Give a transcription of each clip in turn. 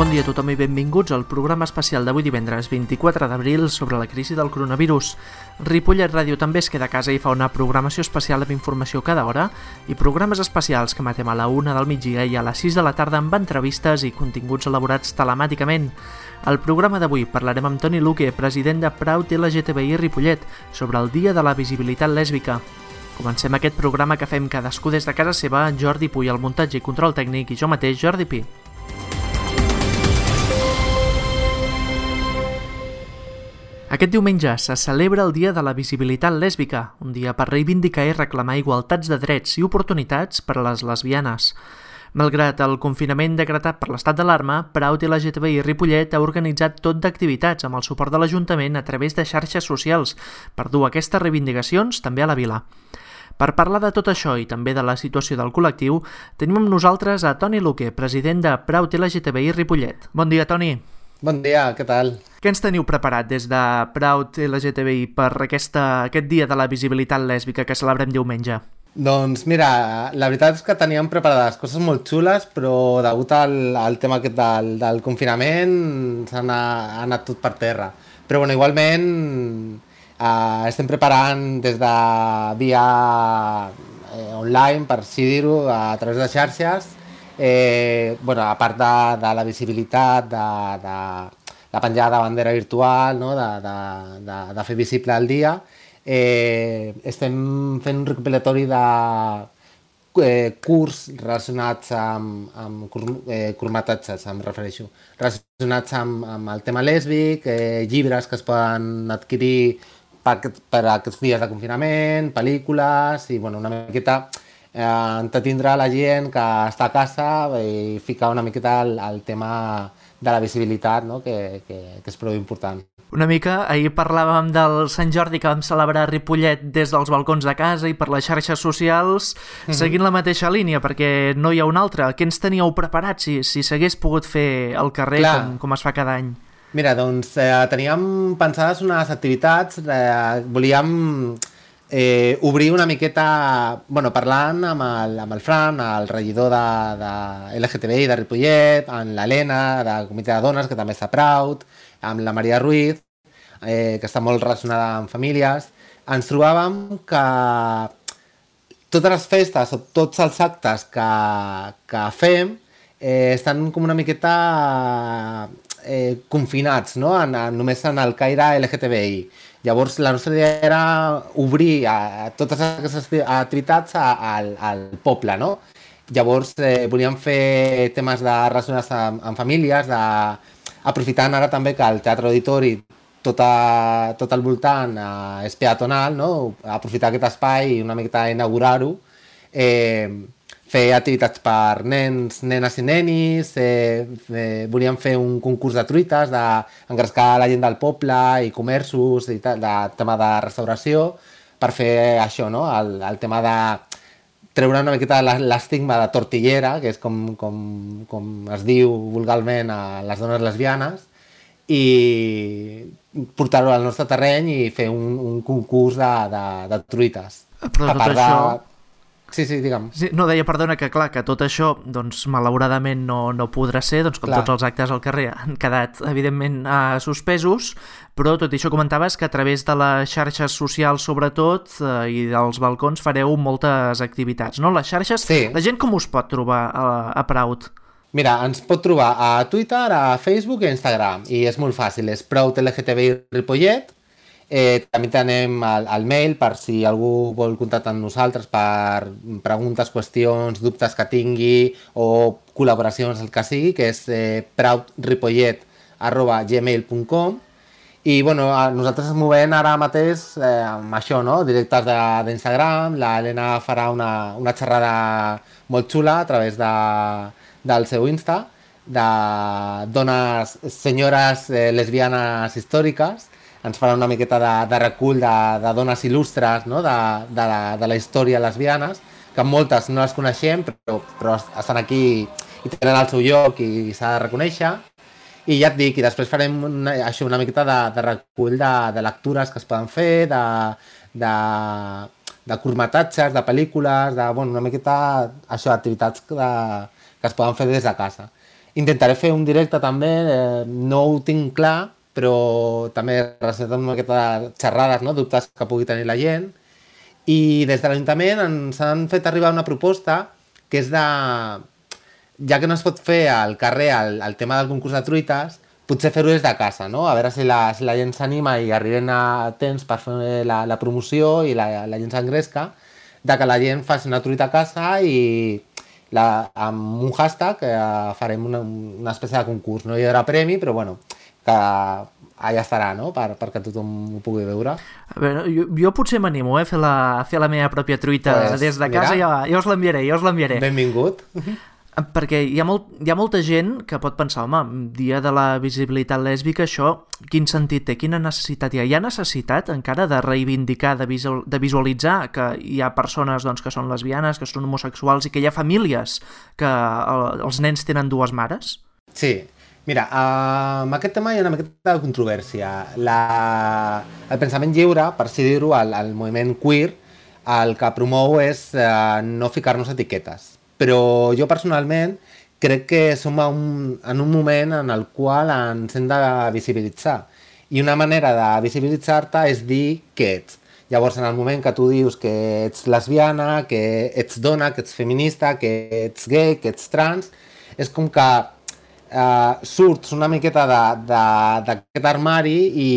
Bon dia a tothom i benvinguts al programa especial d'avui divendres 24 d'abril sobre la crisi del coronavirus. Ripollet Ràdio també es queda a casa i fa una programació especial amb informació cada hora i programes especials que emetem a la 1 del migdia i a les 6 de la tarda amb entrevistes i continguts elaborats telemàticament. Al programa d'avui parlarem amb Toni Luque, president de Proud LGTBI Ripollet, sobre el Dia de la Visibilitat Lèsbica. Comencem aquest programa que fem cadascú des de casa seva, Jordi Puy al muntatge i control tècnic i jo mateix, Jordi Pi. Aquest diumenge se celebra el Dia de la Visibilitat Lèsbica, un dia per reivindicar i reclamar igualtats de drets i oportunitats per a les lesbianes. Malgrat el confinament decretat per l'estat d'alarma, Proud LGTBI Ripollet ha organitzat tot d'activitats amb el suport de l'Ajuntament a través de xarxes socials per dur aquestes reivindicacions també a la vila. Per parlar de tot això i també de la situació del col·lectiu, tenim amb nosaltres a Toni Luque, president de Proud LGTBI Ripollet. Bon dia, Toni. Bon dia, què tal? Què ens teniu preparat des de Proud LGTBI per aquest Dia de la Visibilitat Lèsbica que celebrem diumenge? Doncs mira, la veritat és que teníem preparades coses molt xules, però degut al tema aquest del confinament ha anat tot per terra. Però bueno, igualment estem preparant des de via online, per així dir-ho, a través de xarxes. A part de la visibilitat, de la penjada de bandera virtual, no? de fer visible el dia, estem fent un recopilatori de curs relacionats amb curtmetratges, em refereixo, relacionats amb el tema lèsbic, llibres que es poden adquirir per aquests dies de confinament, pel·lícules i una miqueta entretindre la gent que està a casa i ficar una miqueta el tema de la visibilitat, no? que és prou important. Una mica, ahir parlàvem del Sant Jordi que vam celebrar a Ripollet des dels balcons de casa i per les xarxes socials, seguint la mateixa línia, perquè no hi ha una altra. Què ens teníeu preparat si s'hagués pogut fer al carrer com es fa cada any? Mira, doncs teníem pensades unes activitats, volíem obrir una miqueta, parlant amb el Fran, el regidor de LGTBI de Ripollet, amb l'Helena, del Comitè de Dones, que també està Proud, amb la Maria Ruiz, que està molt relacionada amb famílies. Ens trobàvem que totes les festes o tots els actes que fem estan com una miqueta confinats, no? Només en el caire LGTBI. Llavors, la nostra idea era obrir totes aquestes activitats al poble, no? Llavors, volíem fer temes relacionats amb famílies, aprofitant ara també que el Teatre Auditori, tot al voltant, és peatonal, no? Aprofitar aquest espai i una miqueta inaugurar-ho, fer activitats per nens, nenes i nenis, volíem fer un concurs de truites, d'engrescar la gent del poble i comerços, i tal, de tema de restauració, per fer això, no? El tema de treure una miqueta l'estigma de tortillera, que és com es diu vulgarment a les dones lesbianes, i portar-ho al nostre terreny i fer un concurs de truites. Però tot això... Sí, digue'm. Sí, no, deia, perdona, que clar, que tot això, doncs, malauradament no podrà ser, doncs, com tots els actes al carrer han quedat, evidentment, suspesos, però tot això comentaves que a través de les xarxes socials, sobretot, i dels balcons, fareu moltes activitats, no? Les xarxes, sí. La gent com us pot trobar a Proud? Mira, ens pot trobar a Twitter, a Facebook i a Instagram, i és molt fàcil, és Proud LGTBI Ripollet. També tenim el mail per si algú vol contactar amb nosaltres per preguntes, qüestions, dubtes que tingui o col·laboracions, el que sigui, que és proudripollet@gmail.com. I nosaltres ens movem ara mateix amb això, no? Directes d'Instagram. L'Helena farà una xerrada molt xula a través del seu Insta de dones, senyores lesbianes històriques. Ens farà una miqueta de recull de dones il·lustres, no? de la història lesbianes, que moltes no les coneixem, però estan aquí i tenen el seu lloc i s'ha de reconèixer. I ja et dic, i després farem una miqueta de recull de lectures que es poden fer, de curtmetratges, de pel·lícules, una miqueta això, activitats que es poden fer des de casa. Intentaré fer un directe també, no ho tinc clar, però també relacionat amb aquestes xerrades, no? Dubtes que pugui tenir la gent. I des de l'Ajuntament ens han fet arribar una proposta que és de... Ja que no es pot fer al carrer el tema del concurs de truites, potser fer-ho des de casa, no? A veure si la gent s'anima i arriben a temps per fer la promoció i la gent s'engresca, de que la gent faci una truita a casa i amb un hashtag farem una espècie de concurs. No hi haurà premi, però bueno, que allà estarà, no? Perquè tothom ho pugui veure. A veure, jo potser m'animo a fer la meva pròpia truita des de casa, jo us l'enviaré. Benvingut. Perquè hi ha molta gent que pot pensar, home, dia de la visibilitat lèsbica, això quin sentit té, quina necessitat hi ha? Hi ha necessitat encara de reivindicar, de visualitzar que hi ha persones doncs, que són lesbianes, que són homosexuals i que hi ha famílies que els nens tenen dues mares? Sí, mira, amb aquest tema hi ha una miqueta de controvèrsia. El pensament lliure, per així dir-ho, el moviment queer, el que promou és no ficar-nos etiquetes. Però jo personalment crec que som en un moment en el qual ens hem de visibilitzar. I una manera de visibilitzar-te és dir què ets. Llavors, en el moment que tu dius que ets lesbiana, que ets dona, que ets feminista, que ets gay, que ets trans, és com que surts una miqueta d'aquest armari i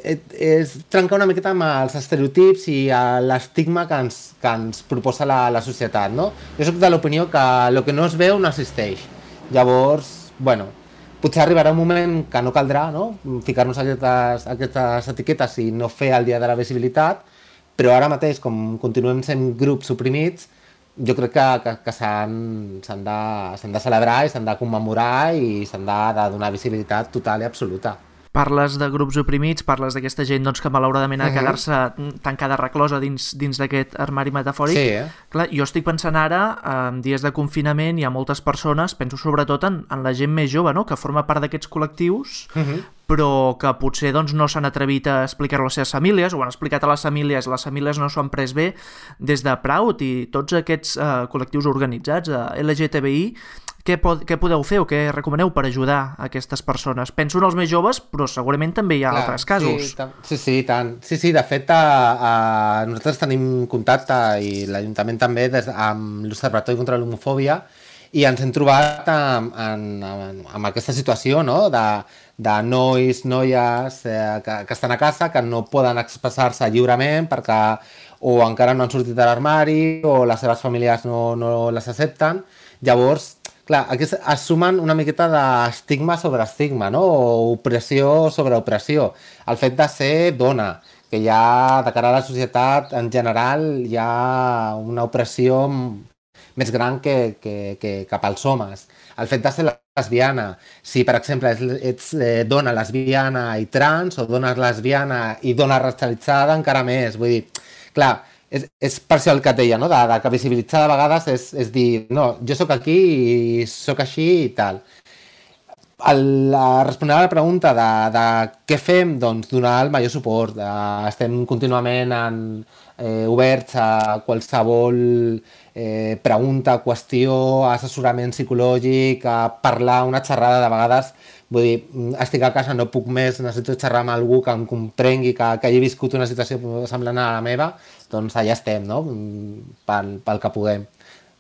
és trencar una miqueta amb els estereotips i l'estigma que ens proposa la societat, no? Jo soc de l'opinió que el que no es veu no existeix. Llavors, bueno, potser arribarà un moment que no caldrà, no? Ficar-nos aquestes etiquetes i no fer el dia de la visibilitat, però ara mateix, com continuem sent grups oprimits, jo crec que s'han de celebrar i s'han de commemorar i s'han de donar visibilitat total i absoluta. Parles de grups oprimits, parles d'aquesta gent doncs, que malauradament ha de quedar-se tancada reclosa dins d'aquest armari metafòric. Sí, Clar, jo estic pensant ara, en dies de confinament hi ha moltes persones, penso sobretot en la gent més jove, no? Que forma part d'aquests col·lectius, però que potser doncs, no s'han atrevit a explicar-ho a les seves famílies, o han explicat a les famílies no s'ho han pres bé. Des de Proud i tots aquests col·lectius organitzats, LGTBI, què podeu fer o què recomaneu per ajudar aquestes persones? Penso en els més joves, però segurament també hi ha altres casos. Sí, tant. Sí, de fet, nosaltres tenim contacte, i l'Ajuntament també, amb l'Observatori contra l'Homofòbia, i ens hem trobat amb aquesta situació, no? De nois, noies que estan a casa, que no poden expressar-se lliurement perquè o encara no han sortit de l'armari o les seves famílies no les accepten. Llavors, clar, aquí es sumen una miqueta d'estigma sobre estigma, no? O opressió sobre opressió. El fet de ser dona, que ja de cara a la societat en general hi ha una opressió més gran que cap als homes. El fet de ser lesbiana, si per exemple ets dona lesbiana i trans, o dona lesbiana i dona racialitzada, encara més. Vull dir, clar, és per això el que et deia, no? De que visibilitzar de vegades és dir, no, jo sóc aquí i sóc així i tal. Respondent a la pregunta de què fem, doncs donar el major suport. Estem contínuament oberts a qualsevol pregunta, qüestió, assessorament psicològic, a parlar, una xerrada de vegades. Vull dir, estic a casa, no puc més, necessito xerrar amb algú que em comprengui, que hagi viscut una situació semblant a la meva, doncs allà estem, no? Pel que puguem.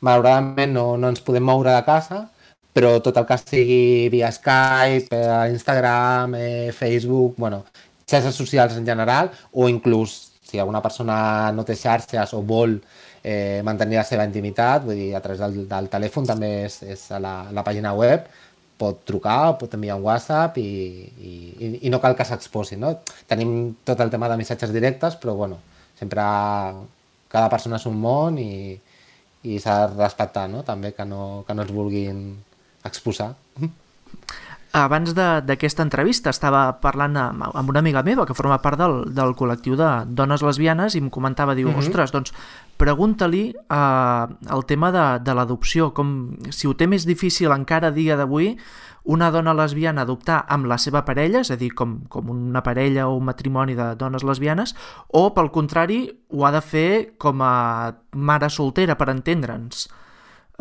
Malauradament no ens podem moure de casa, però tot el que sigui via Skype, Instagram, Facebook, bueno, xarxes socials en general, o inclús si alguna persona no té xarxes o vol mantenir la seva intimitat, vull dir, a través del telèfon també és a la pàgina web, pot trucar, pot enviar un WhatsApp i no cal que s'exposi, no? Tenim tot el tema de missatges directes, però bueno, sempre cada persona és un món i s'ha de respectar, no? També que no es vulguin exposar. Abans d'aquesta entrevista estava parlant amb una amiga meva que forma part del col·lectiu de dones lesbianes i em comentava, diu, ostres, doncs pregunta-li el tema de l'adopció, com si ho té més difícil encara a dia d'avui una dona lesbiana adoptar amb la seva parella, és a dir, com una parella o un matrimoni de dones lesbianes, o pel contrari ho ha de fer com a mare soltera, per entendre'ns.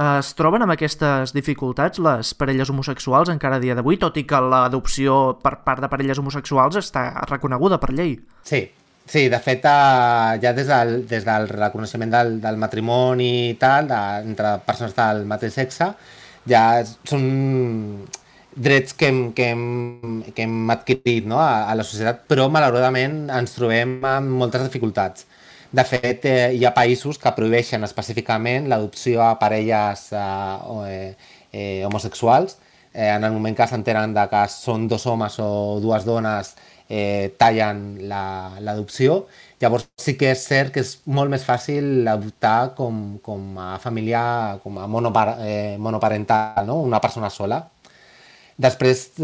Es troben amb aquestes dificultats les parelles homosexuals encara a dia d'avui, tot i que l'adopció per part de parelles homosexuals està reconeguda per llei? Sí, sí, de fet, ja des del reconeixement del matrimoni i tal, entre persones del mateix sexe, ja són drets que hem adquirit, no? a la societat, però malauradament ens trobem amb moltes dificultats. De fet, hi ha països que prohibeixen específicament l'adopció a parelles homosexuals. En el moment que s'enteren que són dos homes o dues dones, tallen l'adopció. Llavors sí que és cert que és molt més fàcil adoptar com a família, com a monoparental, no? Una persona sola. Després,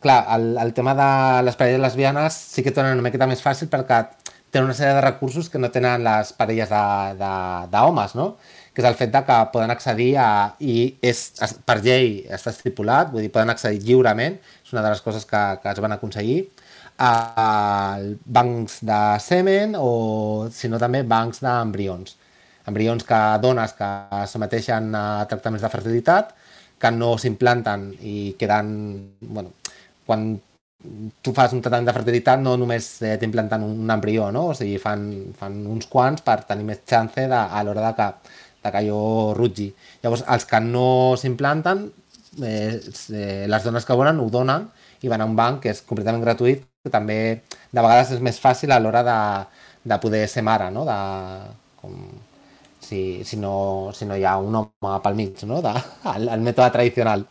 clar, el tema de les parelles lesbianes sí que tenen una miqueta més fàcil perquè tenen una sèrie de recursos que no tenen les parelles d'homes, no? Que és el fet de que poden accedir i per llei està estipulat, vull dir, poden accedir lliurement, és una de les coses que es van aconseguir, a bancs de semen o, si no, també bancs d'embrions. Embrions dones que someteixen a tractaments de fertilitat, que no s'implanten i queden, bueno, quan tu fas un tractament de fertilitat no només t'implanten un embrió, no? O sigui, fan uns quants per tenir més chance a l'hora de que allò rutgi. Llavors, els que no s'implanten, les dones que volen ho donen i van a un banc que és completament gratuït, que també de vegades és més fàcil a l'hora de poder ser mare, no? Si no hi ha un home pel mig, no? El mètode tradicional.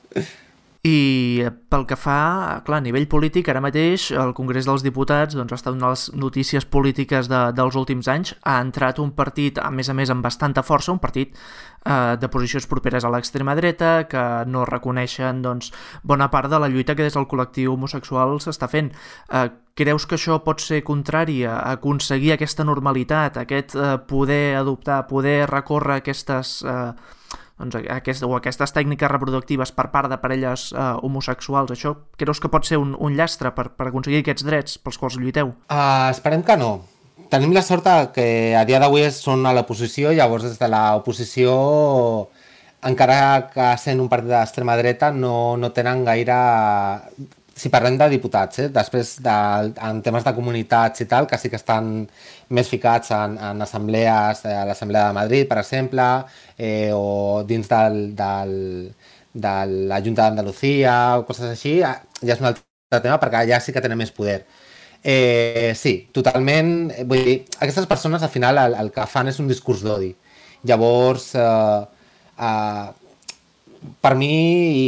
I pel que fa, clar, a nivell polític, ara mateix el Congrés dels Diputats doncs, ha estat una de les notícies polítiques dels últims anys. Ha entrat un partit, a més amb bastanta força, un partit de posicions properes a l'extrema dreta, que no reconeixen doncs, bona part de la lluita que des del col·lectiu homosexual s'està fent. Creus que això pot ser contrari a aconseguir aquesta normalitat, aquest poder adoptar, poder recórrer aquestes tècniques reproductives per part de parelles homosexuals? Això creus que pot ser un llastre per aconseguir aquests drets pels quals lluiteu? Esperem que no. Tenim la sort que a dia d'avui són a l'oposició, llavors des de l'oposició, encara que sent un partit d'extrema dreta, no tenen gaire... Si parlem de diputats, després en temes de comunitats i tal, que sí que estan més ficats en assemblees, a l'Assemblea de Madrid, per exemple, o dins de la Junta d'Andalucía o coses així, ja és un altre tema perquè allà sí que tenen més poder. Sí, totalment. Vull dir, aquestes persones al final el que fan és un discurs d'odi. Llavors, per mi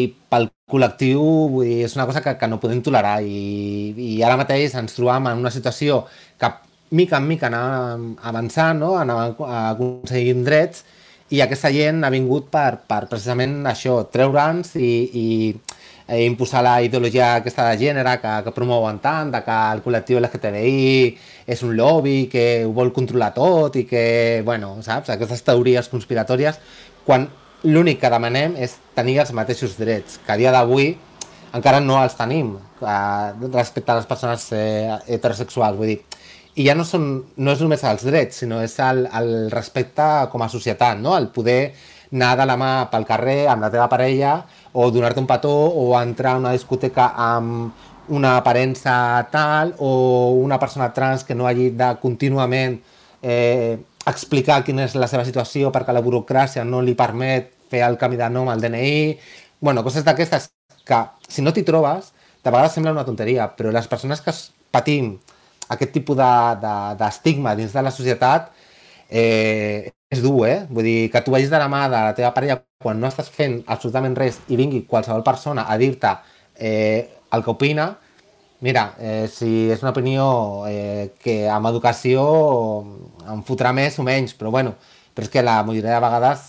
i pel col·lectiu, vull dir, és una cosa que no podem tolerar i ara mateix ens trobam en una situació que mica en mica anàvem avançant, no? Anàvem aconseguint drets i aquesta gent ha vingut per precisament això, treure'ns i imposar la ideologia aquesta de gènere que promouen tant, que el col·lectiu LGTBI és un lobby que ho vol controlar tot i que, bueno, saps, aquestes teories conspiratòries, quan l'únic que demanem és tenir els mateixos drets, que a dia d'avui encara no els tenim respecte a les persones heterosexuals. Vull dir, i ja no és només els drets, sinó és el respecte com a societat, no? El poder anar de la mà pel carrer amb la teva parella o donar-te un petó o entrar a una discoteca amb una aparença tal o una persona trans que no hagi de contínuament explicar quina és la seva situació perquè la burocràcia no li permet fer el canvi de nom al DNI, bueno, coses d'aquestes que si no t'hi trobes, de vegades sembla una tonteria, però les persones que patim aquest tipus d'estigma dins de la societat és dur, Vull dir, que tu vagis de la mà de la teva parella quan no estàs fent absolutament res i vingui qualsevol persona a dir-te el que opina. Mira, si és una opinió que amb educació em fotrà més o menys, però bueno, però és que la majoria de vegades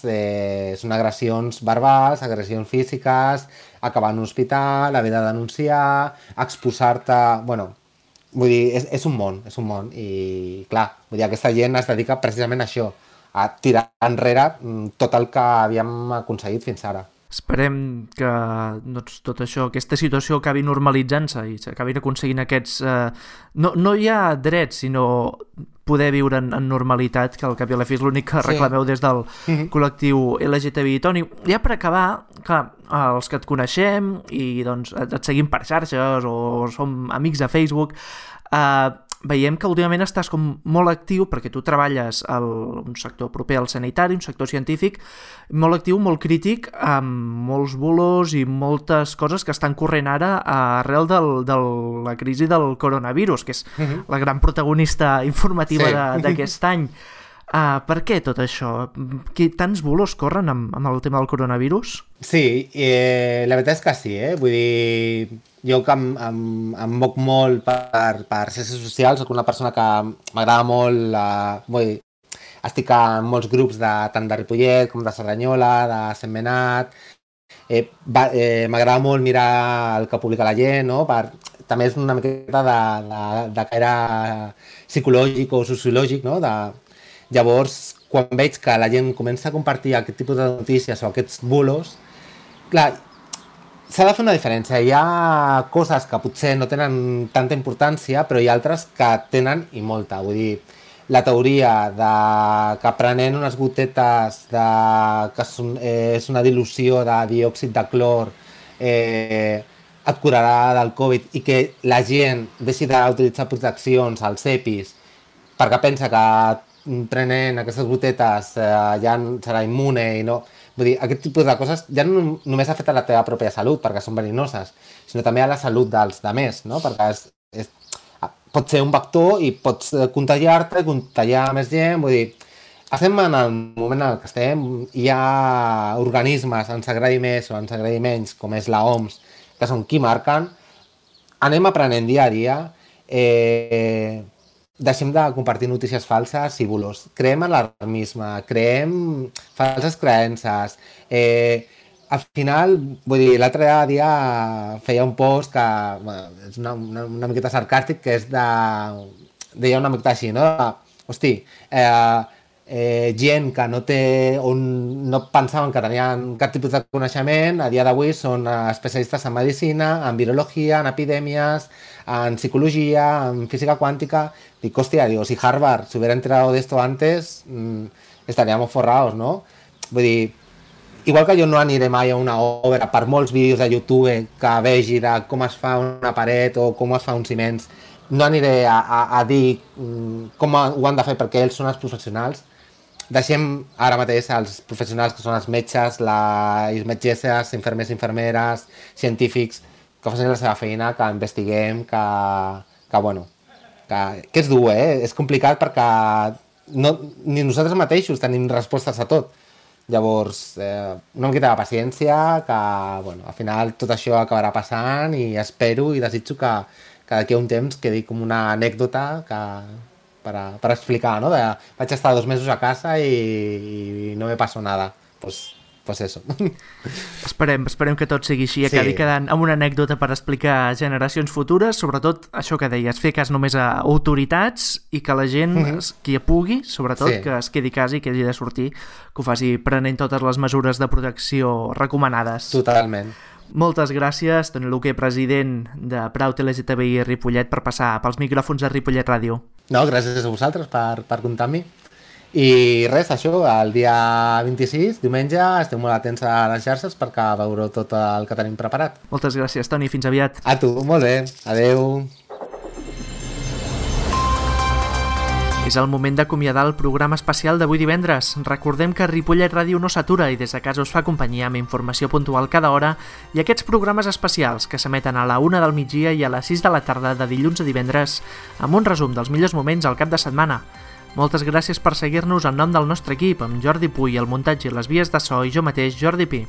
són agressions verbals, agressions físiques, acabar en un hospital, haver de denunciar, exposar-te... Bueno, vull dir, és un món i clar, vull dir, aquesta gent es dedica precisament a això, a tirar enrere tot el que havíem aconseguit fins ara. Esperem que doncs, tot això, aquesta situació acabi normalitzant-se i s'acabin aconseguint aquests... No hi ha drets, sinó poder viure en normalitat, que al cap i a la fi és l'únic que reclameu des del col·lectiu LGTBI. Toni, ja per acabar, clar, els que et coneixem i doncs, et seguim per xarxes o som amics de Facebook, veiem que últimament estàs com molt actiu perquè tu treballes en un sector proper al sanitari, un sector científic, molt actiu, molt crític, amb molts bulos i moltes coses que estan corrent ara arrel de la crisi del coronavirus, que és la gran protagonista informativa d'aquest any. Per què tot això? Tants bulos corren amb el tema del coronavirus? Sí, la veritat és que sí, vull dir, jo que em moc molt per ciències socials, soc una persona que m'agrada molt, estic en molts grups tant de Ripollet com de Cerdanyola, de Sentmenat, m'agrada molt mirar el que publica la gent, no? També és una miqueta de caire psicològic o sociològic, no? Llavors, quan veig que la gent comença a compartir aquest tipus de notícies o aquests bulos, clar, s'ha de fer una diferència. Hi ha coses que potser no tenen tanta importància, però hi ha altres que tenen i molta. Vull dir, la teoria que prenent unes gotetes que és una dilució de diòxid de clor et curarà del Covid i que la gent deixi d'utilitzar proteccions als EPIs perquè pensa que prenent aquestes gotetes ja serà immune i no... Vull dir, aquest tipus de coses ja no només afecta la teva pròpia salut perquè són verinoses, sinó també a la salut dels altres, no? Perquè pot ser un vector i pots contagiar-te, contagiar més gent, vull dir, estem en el moment en què estem, hi ha organismes, ens agradi més o ens agradi menys, com és la OMS, que són qui marquen, anem aprenent dia a dia, deixem de compartir notícies falses i bulos. Creem alarmisme, creem falses creences. Al final, vull dir, l'altre dia feia un post que és una miqueta sarcàstic, que és deia una miqueta així, no? Hosti, gent que no pensaven que tenien cap tipus de coneixement, a dia d'avui són especialistes en medicina, en virologia, en epidèmies, en psicologia, en física quàntica. Dic, hòstia, si Harvard se hubiera enterado de esto antes, estaríamos forrados, ¿no? Vull dir, igual que jo no aniré mai a una obra per molts vídeos de YouTube que vegi de com es fa una paret o com es fa uns ciments, no aniré a dir com ho han de fer perquè ells són els professionals. Deixem ara mateix els professionals que són els metges, les metgesses, infermers, infermeres, científics, que facin la seva feina, que investiguem, que és dur, és complicat perquè ni nosaltres mateixos tenim respostes a tot. Llavors, una miqueta de paciència, que al final tot això acabarà passant i espero i desitjo que d'aquí a un temps quedi com una anècdota per explicar, no? Vaig estar 2 mesos a casa i no me pasó nada. Pues eso. Esperem que tot sigui així i acabi quedant amb una anècdota per explicar a generacions futures, sobretot això que deies, fer cas només a autoritats i que la gent, qui pugui, sobretot, que es quedi a casa i que hagi de sortir, que ho faci prenent totes les mesures de protecció recomanades. Totalment. Moltes gràcies, Toni Luque, president de Proud LGTBI Ripollet, per passar pels micròfons de Ripollet Ràdio. No, gràcies a vosaltres per comptar amb mi. I res, això, el dia 26, diumenge, esteu molt atents a les xarxes perquè veureu tot el que tenim preparat. Moltes gràcies, Toni, fins aviat. A tu, molt bé, adeu. És el moment d'acomiadar el programa especial d'avui divendres. Recordem que Ripollet Ràdio no s'atura i des de casa us fa companyia amb informació puntual cada hora i aquests programes especials que s'emeten a la 1 del migdia i a les 6 de la tarda de dilluns a divendres amb un resum dels millors moments al cap de setmana. Moltes gràcies per seguir-nos en nom del nostre equip, amb Jordi Puy, el muntatge i les vies de so i jo mateix, Jordi Pi.